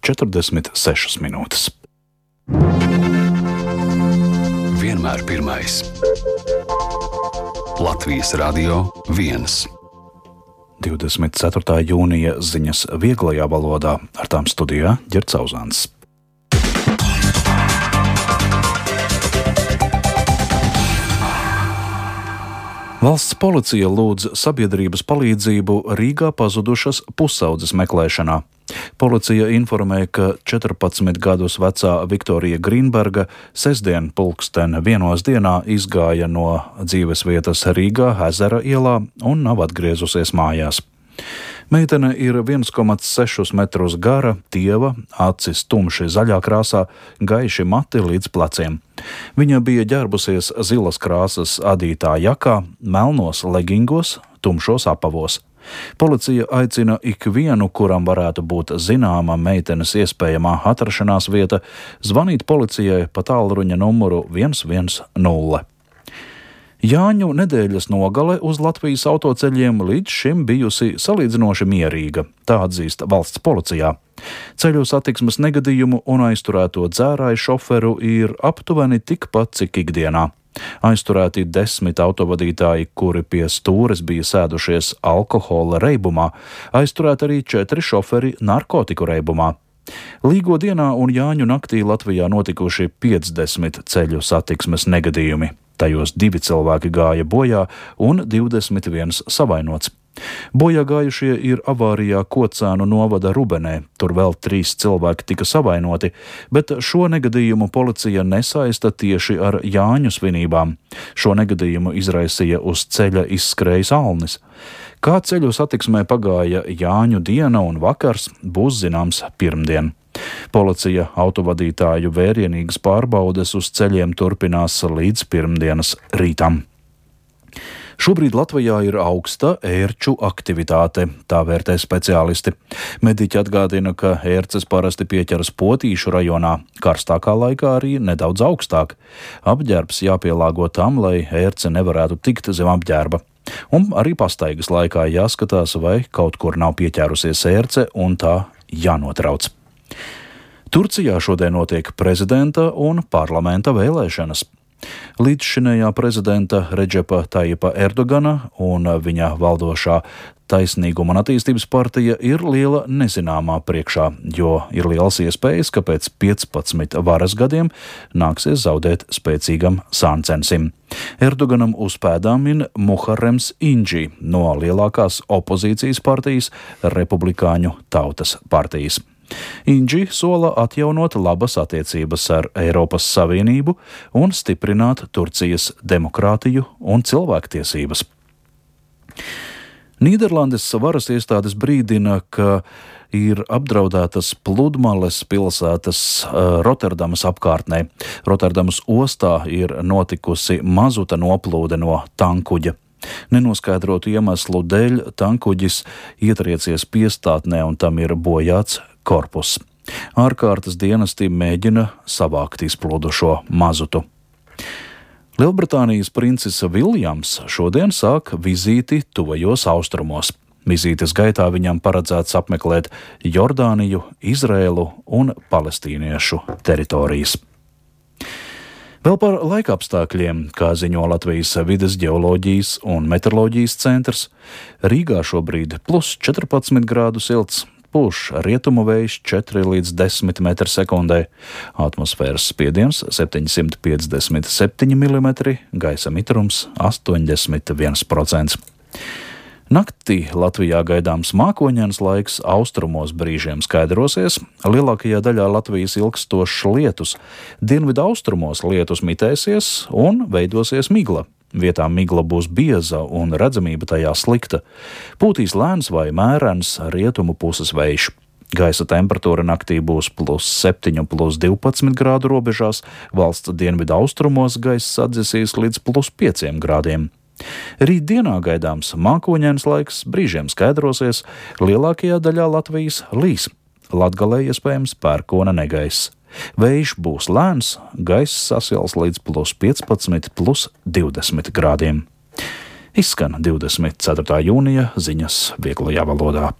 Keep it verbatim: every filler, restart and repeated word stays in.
četrdesmit sešas minūtes. Vienmēr pirmais. Latvijas Radio viens. divdesmit ceturtā jūnija ziņas vieglajā valodā, ar tām studijā Ģerts Auzāns. Valsts policija lūdz sabiedrības palīdzību Rīgā pazudušas pusaudzes meklēšanā. Policija informēja, ka četrpadsmit gadus vecā Viktorija Grīnberga sestdien pulksten vienos dienā izgāja no dzīvesvietas Rīgā Ezera ielā un nav atgriezusies mājās. Meitene ir viens komats sešus metrus gara, tieva, acis tumši zaļā krāsā, gaiši mati līdz pleciem. Viņa bija ģērbusies zilas krāsas adītā jakā, melnos legingos, tumšos apavos. Policija aicina ikvienu, kuram varētu būt zināma meitenes iespējamā atrašanās vieta, zvanīt policijai pa tālruņa numuru viens viens nulle. Jāņu nedēļas nogale uz Latvijas autoceļiem līdz šim bijusi salīdzinoši mierīga, tā atzīst valsts policijā. Ceļu satiksmes negadījumu un aizturēto dzērāju šoferu ir aptuveni tikpat, cik ikdienā. Aizturēti desmit autovadītāji, kuri pie stūres bija sēdušies alkohola reibumā, aizturēti arī četri šoferi narkotiku reibumā. Līgo dienā un Jāņu naktī Latvijā notikuši piecdesmit ceļu satiksmes negadījumi. Tajos divi cilvēki gāja bojā un divdesmit viens savainots. Bojā gājušie ir avārijā Kocēnu novada Rubenē, tur vēl trīs cilvēki tika savainoti, bet šo negadījumu policija nesaista tieši ar Jāņu svinībām. Šo negadījumu izraisīja uz ceļa izskrējis alnis. Kā ceļu satiksmē pagāja Jāņu diena un vakars, būs zināms pirmdien. Policija autovadītāju vērienīgas pārbaudes uz ceļiem turpinās līdz pirmdienas rītam. Šobrīd Latvijā ir augsta ērču aktivitāte, tā vērtē speciālisti. Mediķi atgādina, ka ērces parasti pieķeras Potīšu rajonā, karstākā laikā arī nedaudz augstāk. Apģērbs jāpielāgo tam, lai ērce nevarētu tikt zem apģērba. Un arī pastaigas laikā jāskatās, vai kaut kur nav pieķērusies ērce un tā jānotrauc. Turcijā šodien notiek prezidenta un parlamenta vēlēšanas. Līdzšinējā prezidenta Redžepa Tajipa Erdogana un viņa valdošā Taisnīguma un attīstības partija ir liela nezināmā priekšā, jo ir liels iespējas, ka pēc piecpadsmit varas gadiem nāksies zaudēt spēcīgam sāncensim. Erdoganam uz pēdām min Muharrems Inģi no lielākās opozīcijas partijas Republikāņu tautas partijas. Inģi sola atjaunot labas attiecības ar Eiropas Savienību un stiprināt Turcijas demokrātiju un cilvēktiesības. Nīderlandes varas iestādes brīdina, ka ir apdraudētas pludmales pilsētas Rotterdamas apkārtnē. Rotterdamas ostā ir notikusi mazuta noplūde no tankuģa. Nenoskaidrotu iemeslu dēļ tankuģis ietriecies piestātnē un tam ir bojāts korpus. Ārkārtas dienesti mēģina savākt izplūdušo mazutu. Lielbritānijas princis Viljams šodien sāk vizīti tuvajos austrumos. Vizītes gaitā viņam paredzēts apmeklēt Jordāniju, Izrēlu un palestīniešu teritorijas. Vēl par laikapstākļiem, kā ziņo Latvijas vides ģeoloģijas un meteoroloģijas centrs, Rīgā šobrīd plus četrpadsmit grādu silts, pūš rietumu vējš četri līdz desmit metri sekundē, atmosfēras spiediens septiņsimt piecdesmit septiņi milimetri, gaisa mitrums astoņdesmit viens procents. Naktī Latvijā gaidāms mākoņains laiks, austrumos brīžiem skaidrosies, lielākajā daļā Latvijas ilgstošs lietus, dienvidu austrumos lietus mitēsies un veidosies migla. Vietā migla būs bieza un redzamība tajā slikta. Pūtīs lēns vai mērens rietumu puses vējš. Gaisa temperatūra naktī būs plus septiņi, plus divpadsmit grādu robežās, valsts dienvidu austrumos gaiss atdzesīs līdz plus pieciem grādiem. Rīt dienā gaidāms mākoņains laiks, brīžiem skaidrosies, lielākajā daļā Latvijas līs. Latgalē iespējams pērkona negaiss. Vējš būs lēns, gaiss sasils līdz plus piecpadsmit, plus divdesmit grādiem. Izskan divdesmit ceturtā jūnija ziņas vieglajā valodā.